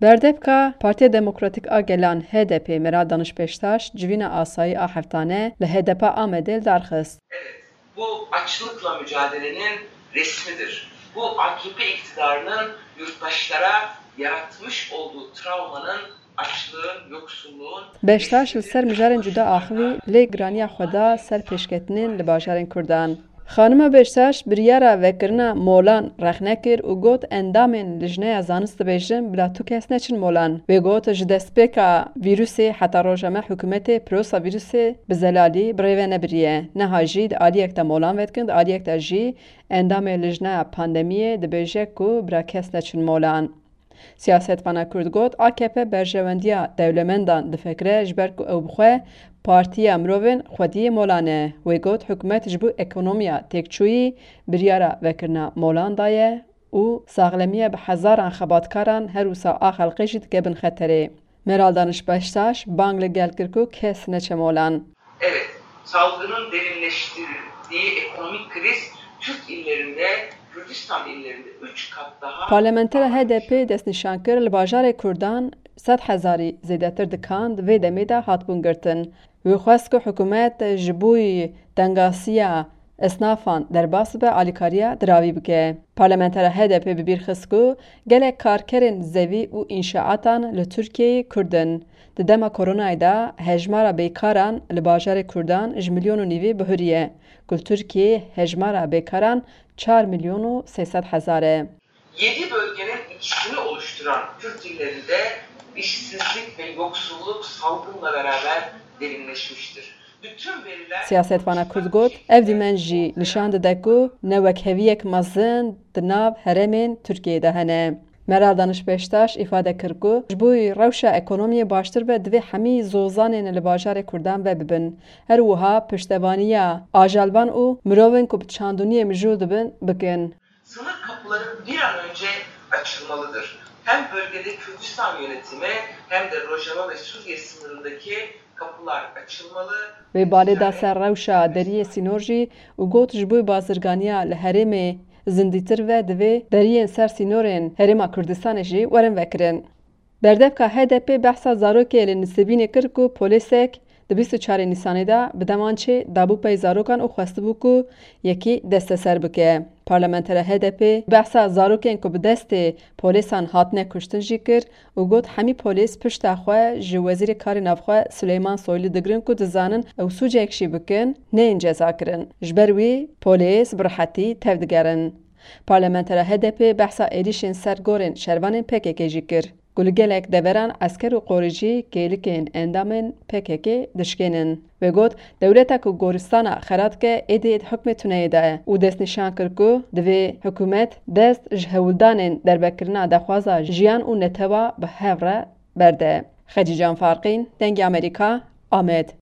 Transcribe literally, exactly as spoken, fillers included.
Berdevka Partiya Demokratîk a Gelan, H D P, Meral Daniş Beştaş civîna asayî a heftane li H D P a Amedê li dar xist. Evet, bu açlıkla mücadelenin resmidir. Bu A K P iktidarının yurttaşlara yaratmış olduğu travmanın, açlığın, yoksulluğun Beştaş li ser mijarên cuda axivî lê giraniya xwe da ser pêşketinên li bajarên Kurdan. Xanima Beştaş biryara vekirina molan rexne kir û got, endamên lijneya zanist dibêjin bila tu kes neçin molan. Wê got, ji destpêka vîrusê heta roja me hikûmetê pirosa vîrusê bi zelalî bi rê ve nebiriye. Niha jî di aliyek de molan vedikin, di aliyek de jî endamê lijneya pandemiyê dibêje ku bila kes neçin molan. Siyasetvana Kurd got, A K P berjewendiya dewlemendan difikire, ji ber ku ew bi xwe partiya mirovên xwediyê molan e. Wê got, hikûmet ji bo ekonomiya têkçûyî biryara vekirina molan daye û saxlemiya bi hezaran xebatkaran her wisa a xelkê jî dike bin xeterê. Meral Daniş Beştaş bang li gel kir ku kes neçe molan. Evet, salgının derinleştirdiği ekonomik kriz Kürt illerinde, Kürdistan illerinde üç kat daha Parlamentera H D P destnîşan kir, li bajarê Kurdan sed hezarî zêdetir dikan di vê demê de hatibûn girtin. Wî xwest ku hikûmet ji bo tengasiya esnafan derbas bibe, alîkariya diravî bike. Parlamentera H D P bi bîr xist ku gelek karkerên zevî û înşaatan li Tirkiyeyê Kurd in. Di dema koronayê de hejmara bêkaran li bajarê Kurdan ji milyon û nîvê bihuriye, ku li Tirkiyeyê hejmara bêkaran çar milyon û sê sed hezar e. Yedi bölgenin ikisini oluşturan Kürt illerinde işsizlik ve yoksulluk salgınla beraber derinleşmiştir. Bütün veriler Siyasetvana Kurd got, ev dîmen jî nîşan dide ku newekheviyek mezin di nav herêmên Tirkiyeyê de hene. Meral Daniş Beştaş îfade kir ku ji bo rewşa ekonomiyê baştir be, divê hemî zozanên li bajarê Kurdan vebibin. Her wiha piştevaniya ajalvan û mirovên ku bi çandûniyê mijûl dibin, bikin. Sınır kapıları bir an önce açılmalıdır. Hem bölgede Kürdistan yönetimi hem de Rojava ve Suriye sınırındaki kapılar açılmalı. Wê balê da ser rewşa deriyê sînor jî û got, ji bo bazirganiya li herêmê zindîtir ve, divê deriyên ser sînorên Herêma Kurdistanê jî werin vekirin. Berdevka H D P behsa zarokê li Nisêbînê kir ku polêsek di bîst û çarê Nîsanê de bi demançê dabû pey zarokan û xwestibû ku yekî desteser bike. Parlamentera H D P behsa zarokên ku bi destê polêsan hatine kuştin jî kir û got, hemî polês pişta xwe ji Wezîrê Karê Navxwe Suleyman Soylu digirin ku dizanin ew sûcek jî bikin, neyên cezakirin. Ji ber wî polês bi rihetî tevdigerin. Parlamentera H D P behsa êrîşên ser gorên şervanên P K K jî kir. Ku li gelek deveran esker û qoricî kêlikên endamên P K K dişkênin. Wê got, dewleta ku goristana xera dike êdî di hukmê tuneyê de ye û destnîşan kir ku divê hikûmet dest ji hewldanên derbekirina daxwaza jiyan û netewa bi hev re berde. Xecîcan Farqîn, Dengê Amerîka, Amed.